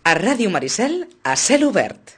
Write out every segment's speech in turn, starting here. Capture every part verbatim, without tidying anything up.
A Ràdio Maricel, a cel obert.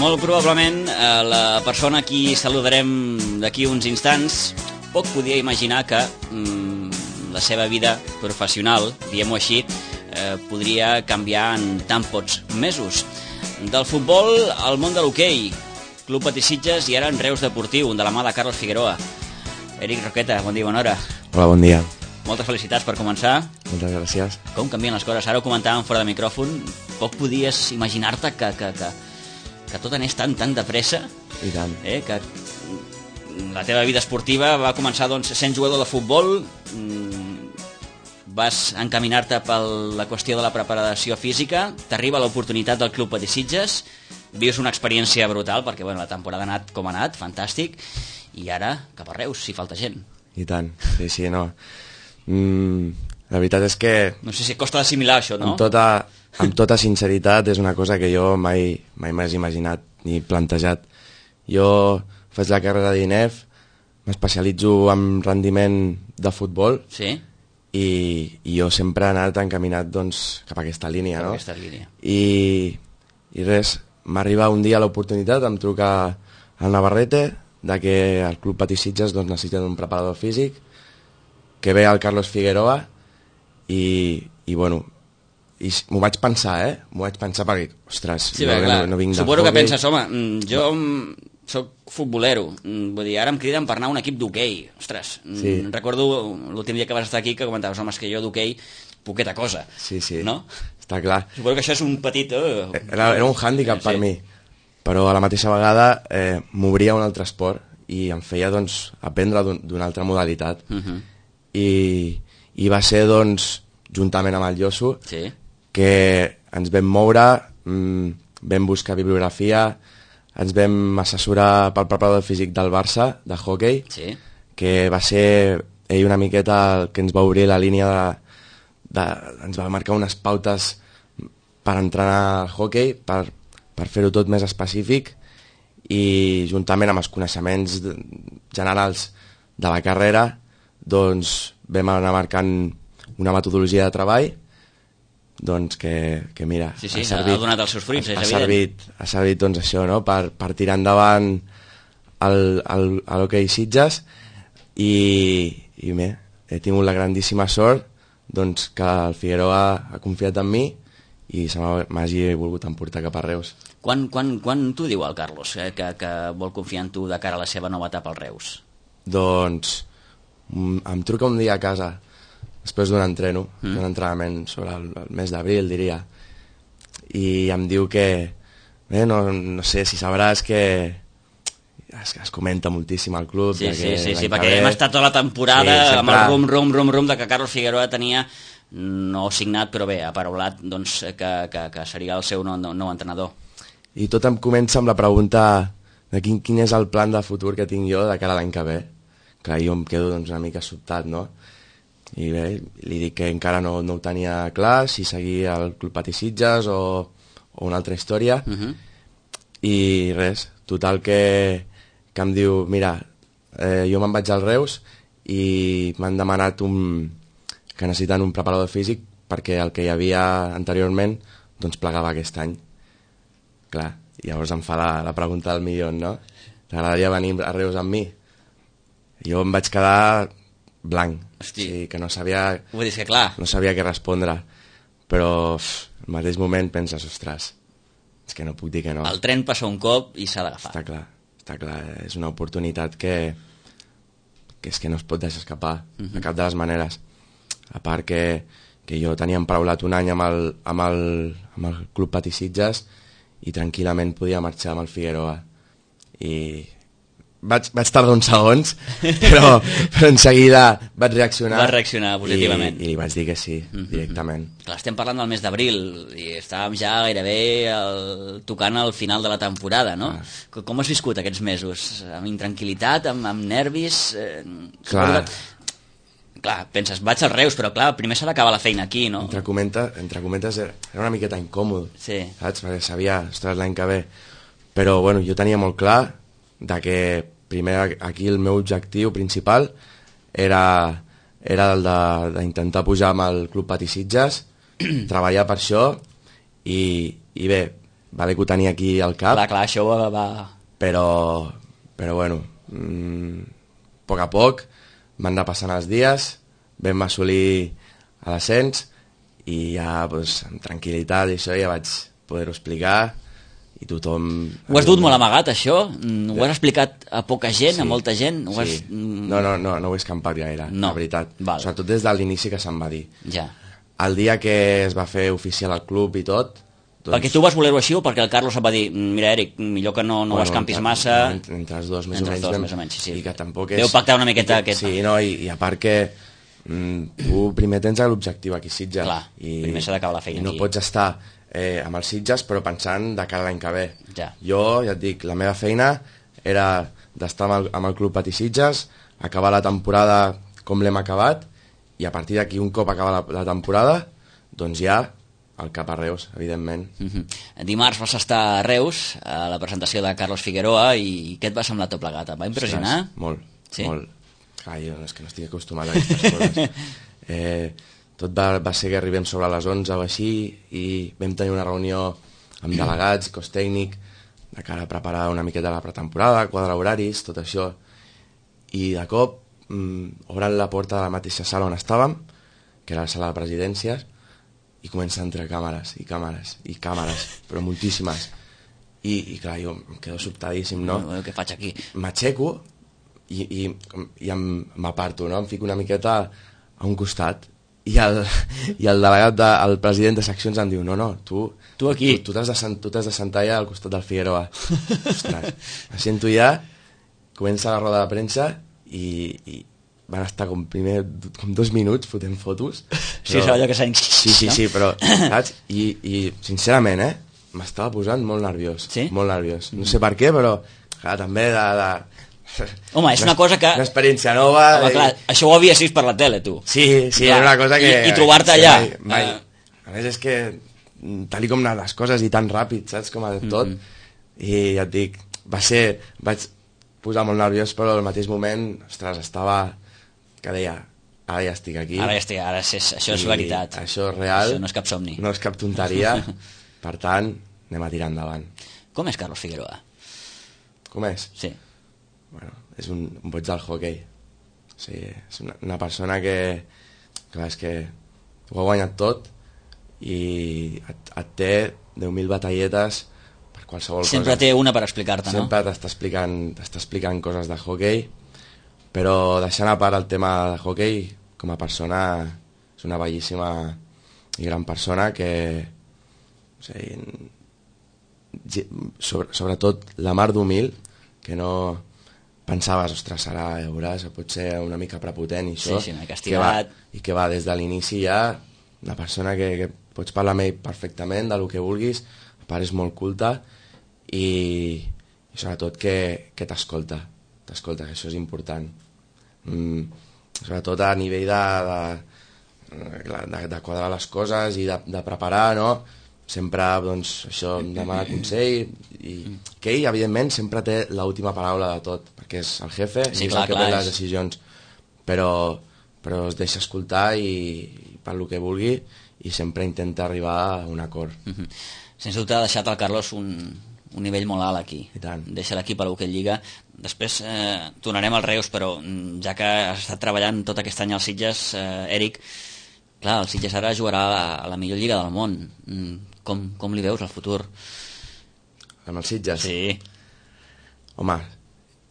Molt probablement la persona a qui saludarem d'aquí uns instants poc podia imaginar que mm, la seva vida professional, diguem-ho així, eh, podria canviar en tan pocs mesos. Del futbol al món de l'hoquei, Club Patí Sitges i ara en Reus Deportiu, de la mà de Carlos Figueroa. Eric Roqueta, bon dia, bona hora. Hola, bon dia. Moltes felicitats per començar. Moltes gràcies. Com canvien les coses? Ara ho comentàvem fora de micròfon. Poc podies imaginar-te que... que, que que tot anés tan, tan de pressa, I tant. Eh, que la teva vida esportiva va començar doncs, sent jugador de futbol, vas encaminar-te per la qüestió de la preparació física, t'arriba l'oportunitat del Club Patí Sitges, vius una experiència brutal, perquè bueno, la temporada ha anat com ha anat, fantàstic, i ara cap a Reus, si falta gent. I tant, sí, sí, no. Mm, la veritat és que... No sé si costa d'assimilar això, no? Amb tota... Amb tota sinceritat, és una cosa que jo mai mai m'has imaginat ni plantejat. Jo faig la carrera d'I N E F, m'especialitzo en rendiment de futbol, sí? i, i jo sempre he anat encaminat doncs, cap a aquesta línia. Cap no? a aquesta línia. I, i res, m'arriba un dia l'oportunitat, em truca el Navarrete, de que el Club Patí Sitges doncs, necessita un preparador físic, que ve el Carlos Figueroa, i, i bueno... i m'ho vaig pensar, eh? M'ho vaig pensar perquè, ostres, sí, jo bé, no, no vinc suposo de que penses, home, jo soc futbolero, vull dir, ara em criden per anar a un equip d'hoquei, ostres, sí. Recordo l'últim dia que vas estar aquí que comentaves, home, és que jo d'hoquei poqueta cosa, sí, sí. No? Està clar. Suposo que això és un petit... Oh, era, era un hàndicap sí. per mi, però a la mateixa vegada eh, m'obria un altre esport i em feia, doncs, aprendre d'una altra modalitat. Uh-huh. I, I va ser, doncs, juntament amb el Josu, sí. que ens vam moure, mmm, vam buscar bibliografia, ens vam assessorar pel preparador físic del Barça, de hoquei, sí. que va ser ell una miqueta el que ens va obrir la línia de, de, ens va marcar unes pautes per entrenar al hoquei, per, per fer-ho tot més específic, i juntament amb els coneixements generals de la carrera, doncs vam anar marcant una metodologia de treball, doncs que, que mira, sí, sí, ha, servit, ha donat els seus fruits, ha, és ha evident. servit, ha servit doncs això, no? per, per tirar endavant l'hoquei Sitges, i, i bé, he tingut la grandíssima sort doncs, que el Figueroa ha confiat en mi i se m'hagi volgut emportar cap a Reus. Quan, quan, quan t'ho diu el Carlos, eh, que, que vol confiar en tu de cara a la seva nova etapa al Reus? Doncs em truca un dia a casa, després d'un entreno, mm. d'un entrenament sobre el, el mes d'abril, diria, i em diu que, bé, no, no sé si sabràs que es, es comenta moltíssim al club. Sí, sí, que sí, sí, perquè hem estat tota la temporada sí, sempre... amb el rum, rum, rum, rum de que Carlos Figueroa tenia, no signat, però bé, aparaulat, doncs, que, que, que seria el seu nou, nou entrenador. I tot em comença amb la pregunta de quin, quin és el plan de futur que tinc jo de cara a l'any que ve. Clar, jo em quedo doncs, una mica sobtat, no? I bé, li dic que encara no, no ho tenia clar, si seguia el Club Patí Sitges o, o una altra història. Uh-huh. I res, total que, que em diu, mira, eh, jo me'n vaig al Reus i m'han demanat un, que necessiten un preparador físic perquè el que hi havia anteriorment doncs plegava aquest any. Clar, llavors em fa la, la pregunta del milió, no? T'agradaria venir a Reus amb mi? Jo em vaig quedar blanc, hosti. Sí, que no sabia, vull dir que clar. no sabia què respondre, però uf, al mateix moment penses, ostres, és que no puc dir que no. El tren passa un cop i s'ha d'agafar. Està clar, està clar, és una oportunitat que, que és que no es pot deixar escapar uh-huh. de cap de les maneres. A part que, que jo tenia emparaulat un any amb el, amb el, amb el Club Patí Sitges i tranquil·lament podia marxar amb el Figueroa. I vaig, vaig tardar uns segons, però, però en seguida vaig reaccionar. Vas reaccionar positivament. I, i li vaig dir que sí, mm-hmm. directament. Clar, estem parlant del mes d'abril i estàvem ja gairebé el, tocant al final de la temporada, no? Ah. Com has viscut aquests mesos? Amb intranquil·litat, amb, amb nervis? Eh, clar. Clar, penses, vaig als Reus, però clar, primer s'ha d'acabar la feina aquí, no? Entre, comenta, entre comentes, era una miqueta incòmode, sí. saps? Perquè sabia, ostres, l'any que ve. Però, bueno, jo tenia molt clar de que primer aquí el meu objectiu principal era, era el d'intentar pujar amb el Club Patí Sitges, treballar per això i, i bé, vale que ho tenia aquí al cap. Clar, clar, això va... va... Però, però bueno, mmm, a poc a poc van anar passant els dies, vam assolir a l'ascens i ja pues, amb tranquil·litat i això ja vaig poder-ho explicar i tothom... Ho has dut molt amagat, això? Ho has explicat a poca gent, sí, a molta gent? Ho sí. Has... No, no, no, no ho he escampat gaire, no. la veritat. Val. Sobretot des de l'inici que se'm va dir. Ja. El dia que es va fer oficial al club i tot... Doncs... Perquè tu vas voler-ho així o perquè el Carlos et va dir mira, Eric, millor que no, no bueno, ho escampis entre, massa... Entre, entre els dos, més entre o menys. Dos, vam, més o menys sí, sí. I que tampoc és... Deu pactar una miqueta aquest... Sí, no, i, i a part que mm, tu primer tens l'objectiu aquí a Sitges. Clar, i, primer s'ha d'acabar la feina i no aquí. pots estar eh, amb els Sitges però pensant de cara a l'any que ve. Ja. Jo, ja et dic, la meva feina era d'estar amb el, amb el Club Patí Sitges, acabar la temporada com l'hem acabat i a partir d'aquí un cop acaba la, la temporada doncs ja al cap a Reus, evidentment. Mm-hmm. Dimarts vas estar a Reus a la presentació de Carlos Figueroa i què et va semblar tot plegat? Et va impressionar? Ostres, molt, sí? molt. Clar, jo és que no estic acostumat a aquestes coses. Eh, tot va, va ser que arribem sobre les onze o així i vam tenir una reunió amb delegats, cos tècnic, de cara a preparar una miqueta la pretemporada, quadrar horaris, tot això. I de cop mm, obren la porta de la mateixa sala on estàvem, que era la sala de presidències, i comença a entrar càmeres, i càmeres, i càmeres, però moltíssimes. I, i clar, jo em quedo sobtadíssim, no? Bueno, què faig aquí? M'aixeco i, i, i m'aparto, no? Em fico una miqueta a un costat i el, i el delegat, de, el president de seccions em diu no, no, tu tu aquí tu, tu t'has de, tu de sentar ja al costat del Figueroa. Ostres, me sento ja, comença la roda de premsa i, i van estar com primer com dos minuts fotent fotos. Sí, però... allò que s'ha... Sí, sí, sí, però, saps? I, i sincerament, eh, m'estava posant molt nerviós. Sí? Molt nerviós. No sé per què, però clar, també de... de... Home, és una cosa que... Una experiència nova... Home, clar, això ho havies vist per la tele, tu. Sí, sí, clar. Era una cosa que... I, i trobar-te allà... Mai, mai. Uh... A més, és que tal com anaven les coses i tan ràpid, saps? Com a tot. Mm-hmm. I ja et dic, va ser... Vaig posar molt nerviós, però al mateix moment, ostres, estava... que deia, ara ja estic aquí. Ara ja estic, ara és, això és veritat. Això és real. Això no és cap somni. No és cap tonteria. Per tant, anem a tirar endavant. Com és Carlos Figueroa? Com és? Sí. Bueno, és un, un boig del hoquei. O sigui, és una, una persona que, clar, és que ho ha guanyat tot i et, et té deu mil batalletes per qualsevol cosa. Sempre té una per explicar-te, no? Sempre t'està explicant, t'està explicant coses de hoquei, però deixant a part el tema de hoquei, com a persona és una bellíssima i gran persona que o sigui, sobre, sobretot la mar d'humil, que no pensaves, ostres, ara ja veuràs, pot ser una mica prepotent i això, sí, sí, que va, i que va des de l'inici ja una persona que, que pots parlar amb ell perfectament del que vulguis, a part és molt culta i, i sobretot que, que t'escolta t'escolta, que això és important. Mm, sobretot a nivell de, de, de, de quadrar les coses i de, de preparar, no? Sempre, doncs, això em demana consell i que ell, evidentment, sempre té l'última paraula de tot, perquè és el jefe sí, i és clar, el que clar, pren les és... decisions, però, però es deixa escoltar i, i per lo que vulgui i sempre intenta arribar a un acord. Mm-hmm. Sens dubte ha deixat el Carlos un, un nivell molt alt aquí. Deixa l'equip a l'Hockey Lliga. Després eh, tornarem al Reus, però ja que has estat treballant tot aquest any als Sitges, eh, Eric, clar, el Sitges ara jugarà a la, a la millor lliga del món. Com, com li veus el futur? Amb els Sitges? Sí. Home,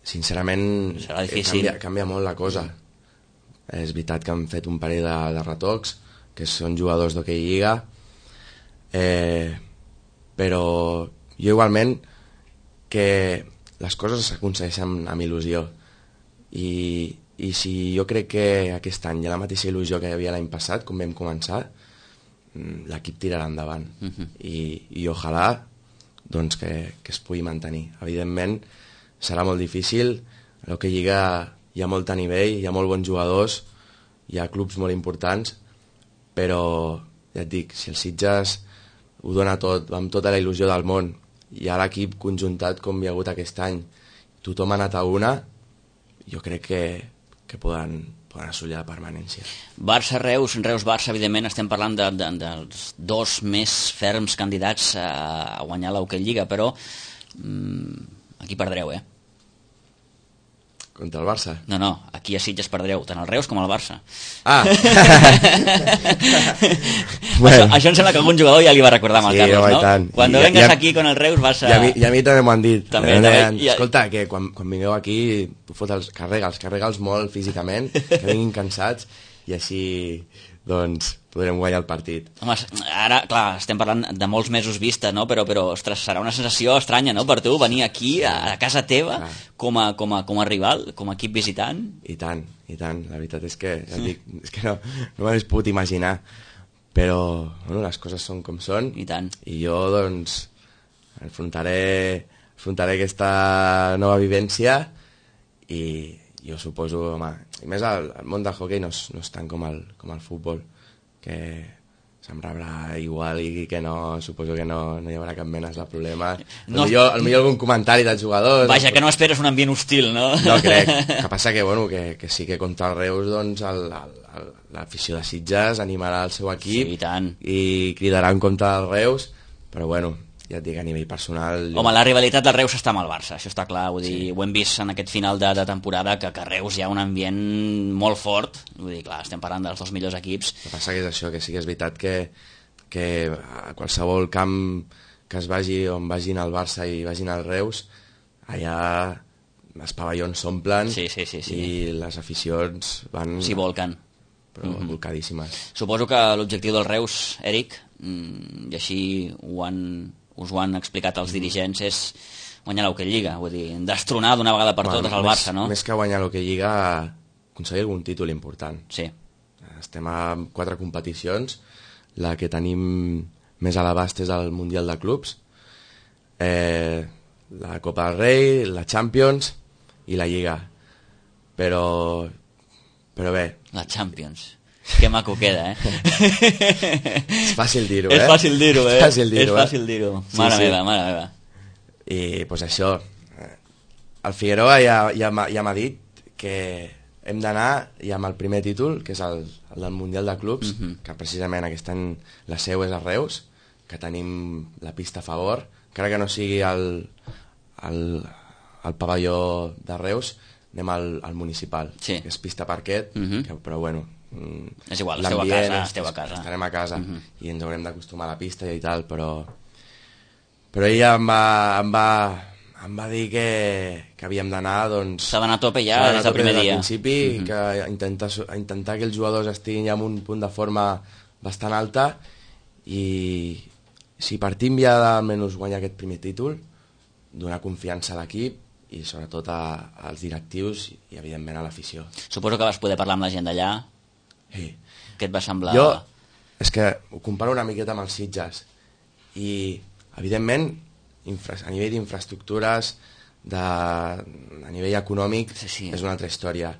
sincerament serà difícil. Canvia, canvia molt la cosa. És veritat que han fet un parell de, de retocs, que són jugadors d'Hockey Lliga, eh, però jo igualment que les coses s'aconsegueixen amb il·lusió. I, I si jo crec que aquest any hi ha la mateixa il·lusió que hi havia l'any passat, com vam començar, l'equip tirarà endavant. Uh-huh. I, i ojalà doncs, que, que es pugui mantenir. Evidentment, serà molt difícil. El que Lliga hi ha molt a nivell, hi ha molt bons jugadors, hi ha clubs molt importants, però ja et dic, si el Sitges ho dona tot, amb tota la il·lusió del món, hi ha l'equip conjuntat com hi ha hagut aquest any, tothom ha anat a una, jo crec que, que poden, poden assolir la permanència. Barça-Reus, Reus-Barça, evidentment, estem parlant de, de, dels dos més ferms candidats a, a guanyar l'Hockey Lliga, però mmm, aquí perdreu, eh? Contra el Barça? No, no, aquí a Sitges perdreu, tant el Reus com el Barça. Ah! Bueno. Això, això em sembla que algun jugador ja li va recordar amb el sí, Carlos, no? Tant. Quan I, vengues i a, aquí con el Reus vas a... I a, mi, i a mi també m'ho han dit. També, també, també, deien, i... Escolta, que quan, quan vingueu aquí tu fota'ls, carrega'ls, carrega'ls molt físicament, que vinguin cansats i així doncs podrem guanyar el partit. Home, ara, clar, estem parlant de molts mesos vista, no? Però, però ostres, serà una sensació estranya, no?, per tu venir aquí a, a casa teva com a, com, a, com a rival, com a equip visitant. I tant, i tant. La veritat és que, ja dic, és que no, no m'hagués pogut imaginar, però bueno, les coses són com són. I tant. I jo, doncs, afrontaré, afrontaré aquesta nova vivència i jo suposo, home, i més el, el món del hoquei no és, no és tant com el, com el futbol, que se'm rebrà igual i que no, suposo que no, no hi haurà cap mena de problema. No, millor, millor algun comentari dels jugadors. Vaja, que no esperes un ambient hostil, no? No crec. Que passa que, bueno, que, que sí que contra el Reus, doncs, l'afició de Sitges animarà el seu equip sí, i, tant. I cridarà en contra del Reus, però bueno, ja et dic, a nivell personal... Home, jo... la rivalitat del Reus està amb el Barça, això està clar, vull dir, sí. Ho hem vist en aquest final de, de temporada, que, que a Reus hi ha un ambient molt fort, vull dir, clar, estem parlant dels dos millors equips. El que passa que és això, que sí que és veritat que, que a qualsevol camp que es vagi, on vagin el Barça i vagin el Reus, allà els pavellons s'omplen sí, sí, sí, sí. I les aficions van... S'hi volquen. Però mm-hmm. volcadíssimes. Suposo que l'objectiu del Reus, Eric, i així ho han... us ho han explicat els dirigents, és guanyar l'Hockey Lliga, vull dir, destronar d'una vegada per bueno, totes el Barça, no? Més que guanyar l'Hockey Lliga, aconseguir algun títol important. Sí. Estem a quatre competicions, la que tenim més a l'abast és el Mundial de Clubs, eh, la Copa del Rei, la Champions i la Lliga. Però, però bé... La Champions... Que maco queda, eh? És fàcil dir-ho, eh? És fàcil dir-ho, eh? És fàcil dir-ho, és fàcil dir-ho. Sí, mare sí. meva, mare meva. I, doncs pues això, el Figueroa ja, ja, ja m'ha dit que hem d'anar ja amb el primer títol, que és el, el del Mundial de Clubs, uh-huh. que precisament aquest any la seu és a Reus, que tenim la pista a favor, encara que no sigui el, el, el pavelló de Reus, anem al, al municipal, sí. que és pista parquet, uh-huh. que, però bueno... Mm, és igual, esteu a casa, esteu a casa. Estarem a casa uh-huh. i ens haurem d'acostumar a la pista i tal, però però ella em va, em va, em va dir que, que havíem d'anar, doncs... S'ha d'anar a tope ja des del primer dia. Des del principi, uh-huh. que intentar, intentar que els jugadors estiguin ja en un punt de forma bastant alta i si partim ja d'almenys guanyar aquest primer títol, donar confiança a l'equip i sobretot a, als directius i evidentment a l'afició. Suposo que vas poder parlar amb la gent d'allà. Sí. Què et va semblar? Jo, és que ho comparo una miqueta amb els Sitges i, evidentment, infra, a nivell d'infraestructures, de, a nivell econòmic, sí, sí. és una altra història.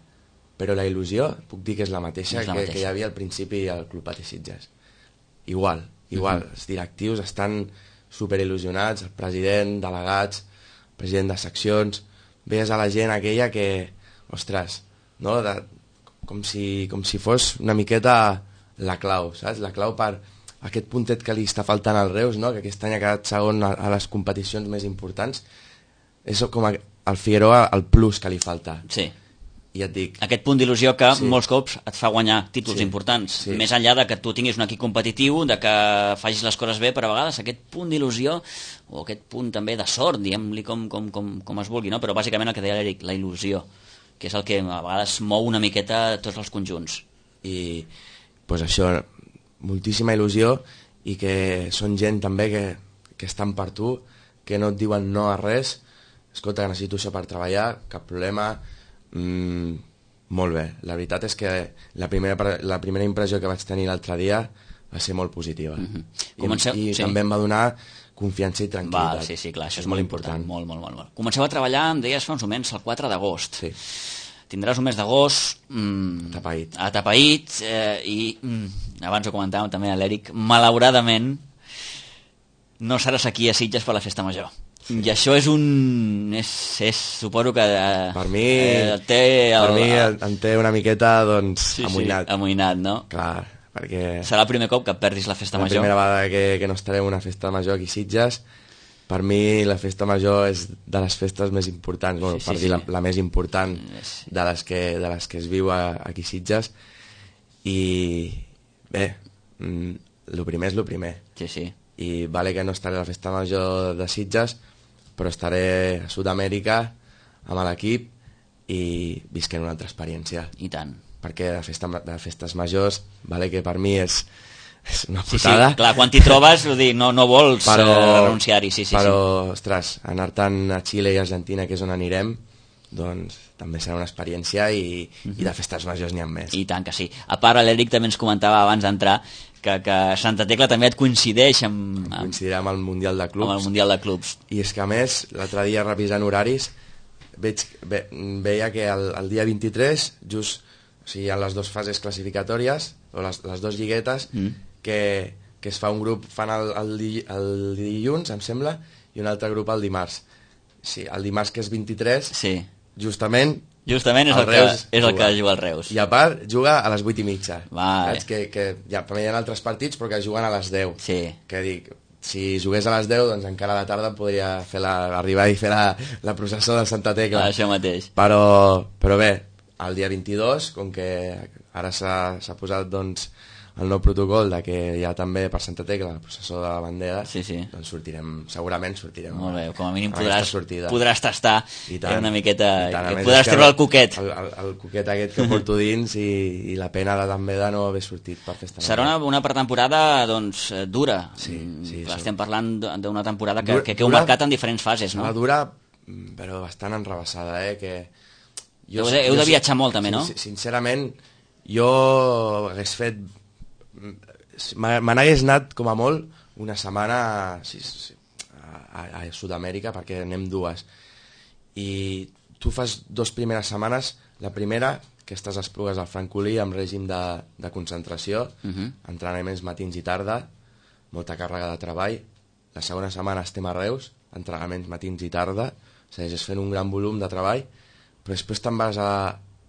Però la il·lusió, puc dir que és la mateixa, és la que, mateixa. que hi havia al principi al Club Patí Sitges. Igual, igual. Uh-huh. Els directius estan superil·lusionats, el president, delegats, president de seccions, veies a la gent aquella que, ostres, no?, de, com si, com si fos una miqueta la clau, saps? La clau per aquest puntet que li està faltant al Reus, no?, que aquest any ha quedat segon a, a les competicions més importants, és com a, al Figueroa el plus que li falta. Sí. I et dic... Aquest punt d'il·lusió que sí. molts cops et fa guanyar títols sí. importants, sí. més enllà de que tu tinguis un equip competitiu, de que facis les coses bé, però a vegades aquest punt d'il·lusió o aquest punt també de sort, diguem-li com, com, com, com es vulgui, no? Però bàsicament el que deia l'Eric, la il·lusió, que és el que a vegades mou una miqueta tots els conjunts. I pues això, moltíssima il·lusió i que són gent també que, que estan per tu, que no et diuen no a res escolta, necessito això per treballar, cap problema, mm, molt bé. La veritat és que la primera, la primera impressió que vaig tenir l'altre dia va ser molt positiva. Mm-hmm. I, Comenceu... i sí. també em va donar confiança i tranquil·litat. Val, sí, sí, clar, això és, és molt important. important. Molt, molt, molt, molt. Comenceu a treballar, em deies fa uns moments, el quatre d'agost. Sí. Tindràs un mes d'agost... Mm, atapeït. Atapeït, eh, i mm, abans ho comentàvem també a l'Eric, malauradament no seràs aquí a Sitges per la festa major. Sí. I això és un... És, és, suposo que... Eh, per mi, eh, té el, per mi em té una miqueta, doncs, sí, amoïnat. Sí, amoïnat, no? Clar, perquè... Serà el primer cop que perdis la festa la major. La primera vegada que, que no estaré en una festa major aquí a Sitges. Per mi la festa major és de les festes més importants, bueno, sí, sí, per dir sí. la, la més important sí. de les que, de les que es viu a, aquí a Sitges. I bé, el primer és el primer. Sí, sí. I vale que no estaré a la festa major de Sitges, però estaré a Sud-amèrica amb l'equip i visquent una altra experiència. I tant. Perquè de, festa, de festes majors, vale que per mi és, és una putada. Sí, sí, clar, quan t'hi trobes, dir, no, no vols però, eh, renunciar-hi. Sí, sí, però, sí. ostres, anar tant a Xile i Argentina, que és on anirem, doncs també serà una experiència i, mm-hmm. i de festes majors n'hi ha més. I tant que sí. A part, l'Eric també ens comentava abans d'entrar que, que Santa Tecla també et coincideix amb, amb... Coincidirà amb el Mundial de Clubs. Amb el Mundial de Clubs. I és que, a més, l'altre dia revisant horaris, veig, ve, veia que el, el dia vint-i-tres, just, o sigui, hi ha les dues fases classificatòries, o les, les dues lliguetes, mm. que, que es fa un grup, fan el, el, el dilluns, em sembla, i un altre grup el dimarts. Sí, el dimarts, que és vint-i-tres, sí. justament... Justament és el, el que, és el que juga el Reus. I a part, juga a les vuit i mitja. Vale. Que, que ja, també hi ha altres partits, però que juguen a les deu. Sí. Que dic, si jugués a les deu, doncs encara a la tarda podria fer la, arribar i fer la, la processó de Santa Tecla. Això mateix. Però, però bé, el dia vint-i-dos, com que ara s'ha posat doncs, el nou protocol de que hi ha també per Santa Tecla la processó de la bandera, sí, sí. doncs sortirem, segurament sortirem. Molt bé, com a mínim podràs, podràs tastar tant, una miqueta, tant, que podràs treure el coquet. El, el, el coquet aquest que porto dins i, i la pena de, també de no haver sortit per festa. Serà una, una pretemporada doncs, dura. Sí, sí, Clar, estem parlant d'una temporada que, dura, que, que heu marcat en diferents fases, no? Dura, però bastant enrebaçada, eh? Que jo, heu de, heu de viatjar molt, també, no? Sincerament, jo hagués fet... Me n'hagués anat, com a molt, una setmana sí, sí, a, a Sud-amèrica, perquè anem dues. I tu fas dues primeres setmanes, la primera, que estàs a Esplugues al Francolí, amb règim de, de concentració, uh-huh. entrenaments matins i tarda, molta càrrega de treball. La segona setmana estem a Reus, entrenaments matins i tarda, segueixes fent un gran volum de treball, però després te'n vas a,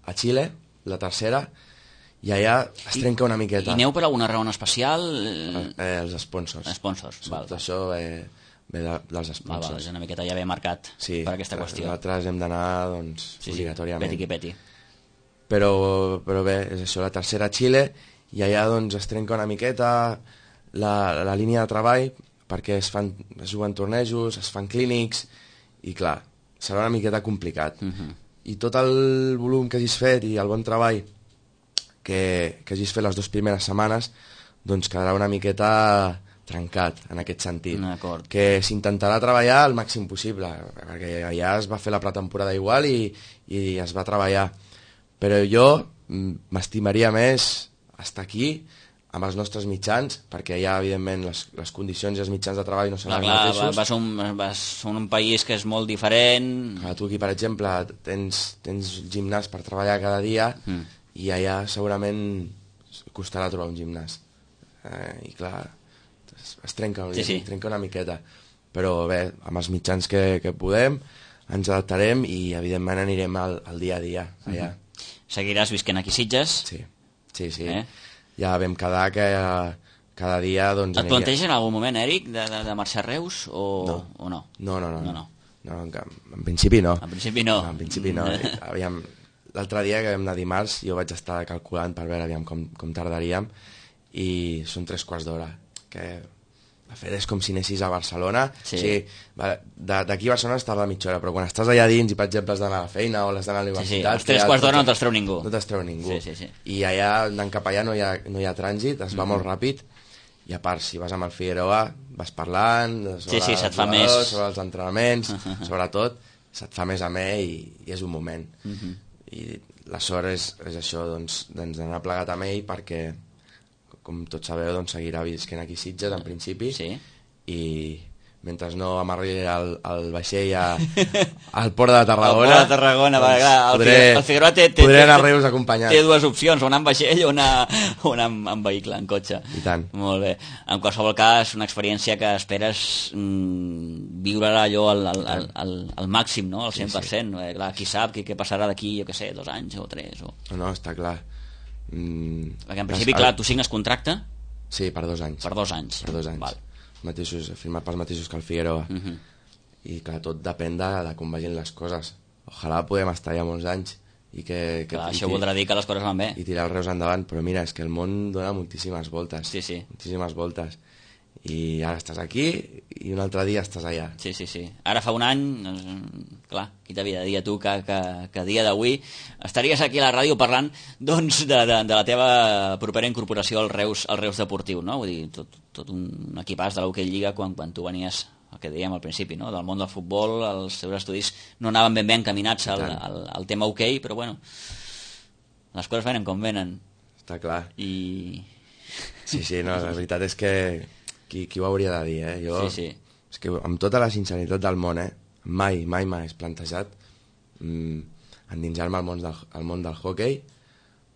a Xile, la tercera, i allà es trenca una miqueta. I aneu per alguna raó especial? Eh, els sponsors. Sponsors, val. Tot això eh, ve de, dels sponsors. Val, val, una miqueta ja ve marcat sí, per aquesta qüestió. Nosaltres hem d'anar, doncs, sí, obligatòriament. Sí, peti que peti. Però, però bé, és això, la tercera a Xile, i allà doncs es trenca una miqueta la, la línia de treball, perquè es, fan, es juguen tornejos, es fan clínics, i clar, serà una miqueta complicat. Uh-huh. I tot el volum que hagis fet i el bon treball que, que hagis fet les dues primeres setmanes, doncs quedarà una miqueta trencat en aquest sentit. Que s'intentarà treballar el màxim possible, perquè allà es va fer la pretemporada igual i, i es va treballar. Però jo m'estimaria més estar aquí amb els nostres mitjans, perquè allà, evidentment, les, les condicions i els mitjans de treball no són els mateixos. Va ser un, va ser un país que és molt diferent. Clar, tu aquí, per exemple, tens, tens gimnàs per treballar cada dia, mm. i allà segurament costarà trobar un gimnàs. Eh, I clar, es, es trenca, sí, sí. trenca una miqueta. Però bé, amb els mitjans que, que podem, ens adaptarem i evidentment anirem al, al dia a dia allà. Mm-hmm. Seguiràs visquent aquí a Sitges? Sí, sí, sí. Eh? Ja vam quedar que cada dia... Doncs, et planteges en algun moment, Eric, de, de, de marxar a Reus o no? O no? No, no, no. no, no. no en, en principi no. En principi no. no en principi no. Aviam, l'altre dia que vam anar dimarts jo vaig estar calculant per veure aviam com, com tardaríem i són tres quarts d'hora que de fet és com si anessis a Barcelona. Sí. O sigui, d'aquí a Barcelona es tarda mitja hora, però quan estàs allà dins i per exemple has d'anar a la feina o has d'anar a la universitat, sí, sí. Els tres quarts d'hora no te'ls treu ningú, no te'ls treu ningú. Sí, sí, sí. I allà anant cap allà no hi ha, no hi ha trànsit, es va mm-hmm. molt ràpid. I a part, si vas amb el Figueroa vas parlant sobre, sí, sí, se't fa jugadors, més... sobre els entrenaments, sobre tot, se't fa més amè i, i és un moment. Uh-huh. I la sort és, és això, doncs, doncs d'anar plegat amb ell perquè, com tots sabeu, doncs, seguirà visquent aquí a Sitges en principi, sí. I mentre no amarri el, el vaixell a, al port de Tarragona, al port de Tarragona, doncs, va, clar, el, podré, el Figueroa té, té, podré anar té, a Reus acompanyat. Té dues opcions, o anar amb vaixell o anar, o anar amb, amb vehicle, en cotxe. I tant. Molt bé. En qualsevol cas, una experiència que esperes mm, viure allò al, al, al, al, al màxim, no? Al cent per cent. Sí, sí. Eh, clar, qui sap què, què passarà d'aquí, jo què sé, dos anys o tres. O... No, no, està clar. Mm, Perquè en principi, clar, tu signes contracte? Sí, per dos anys. Per dos anys. Per dos anys. Val. Mateixos, firmat pels mateixos que el Figueroa. Uh -huh. I clar, tot depèn de, de com vagin les coses. Ojalà podem estar ja molts anys i que, que clar, i, això voldrà dir que les coses van bé i tirar el Reus endavant, però mira, és que el món dona moltíssimes voltes. Sí, sí. Moltíssimes voltes. I ara estàs aquí i un altre dia estàs allà. Sí, sí, sí. Ara fa un any, doncs, clar, qui t'havia de dir a tu que, que, que a dia d'avui estaries aquí a la ràdio parlant doncs, de, de, de la teva propera incorporació al Reus, al Reus Deportiu, no? Vull dir, tot, tot un equipàs de l'Hockey Lliga quan, quan tu venies, el que dèiem al principi, no? Del món del futbol, els teus estudis no anaven ben bé encaminats al, al, al tema hoquei, però bueno, les coses venen com venen. Està clar. I... Sí, sí, no, la veritat és que qui, qui ho hauria de dir, eh? Jo, sí, sí. És que amb tota la sinceritat del món, eh? Mai, mai m'he plantejat mm, endinsar-me al món del, al món del hoquei,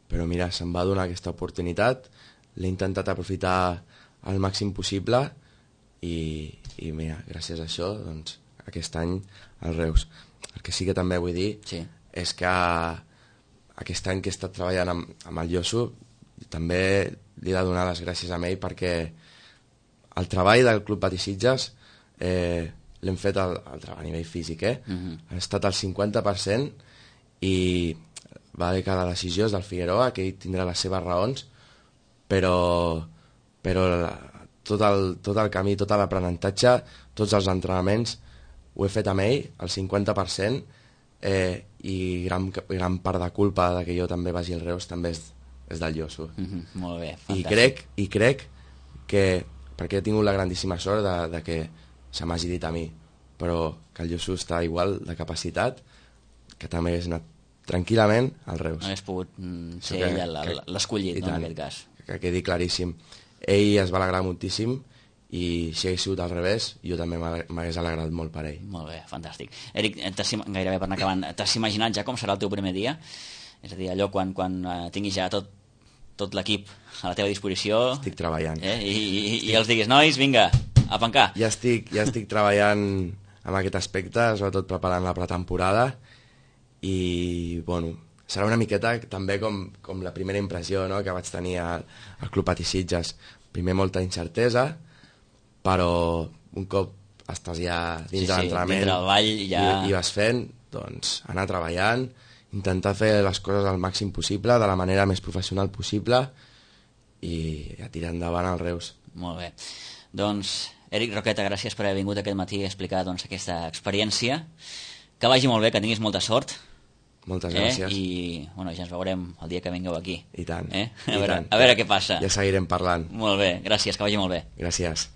però mira, se'm va donar aquesta oportunitat, l'he intentat aprofitar al màxim possible i, i mira, gràcies a això, doncs, aquest any al Reus. El que sí que també vull dir sí. és que aquest any que he estat treballant amb, amb el Josu també li he de donar les gràcies a ell perquè el treball del Club Patí Sitges eh, l'hem fet al, al treball a nivell físic, eh? Uh-huh. Ha estat al cinquanta per cent i va dir que la decisió és del Figueroa, que ell tindrà les seves raons, però, però tot, el, tot el camí, tot l'aprenentatge, tots els entrenaments ho he fet amb ell, al cinquanta per cent, eh, i gran, gran part de culpa de que jo també vagi al Reus també és, és del Josu. Uh-huh. Molt bé, fantàstic. I crec, i crec que, perquè he tingut la grandíssima sort de, de que se m'hagi dit a mi, però que el Josu està igual de capacitat, que també hagués anat tranquil·lament al Reus. Hagués pogut mm, ser que, ell l'escollit, no, en aquest cas. Que, que quedi claríssim. Ell es va alegrar moltíssim i si hagués sigut al revés, jo també m'hagués alegrat molt per ell. Molt bé, fantàstic. Eric, gairebé per anar acabant, t'has imaginat ja com serà el teu primer dia? És a dir, allò quan, quan uh, tinguis ja tot, tot l'equip a la teva disposició... Estic treballant. Eh? I, i, estic... I els diguis, nois, vinga, a pencar. Ja estic, ja estic treballant en aquest aspecte, sobretot preparant la pretemporada i, bueno, serà una miqueta també com, com la primera impressió, no?, que vaig tenir al, al Club Patí Sitges. Primer molta incertesa, però un cop estàs ja dins sí, de l'entrenament sí, ball, ja... i, i vas fent, doncs anar treballant, intentar fer les coses al màxim possible, de la manera més professional possible i a tirar endavant al Reus. Molt bé. Doncs, Eric Roqueta, gràcies per haver vingut aquest matí a explicar doncs, aquesta experiència. Que vagi molt bé, que tinguis molta sort. Moltes eh? gràcies. I bueno, ja ens veurem el dia que vingueu aquí. I tant. Eh? A, I veure, tant. a veure què passa. Ja seguirem parlant. Molt bé, gràcies, que vagi molt bé. Gràcies.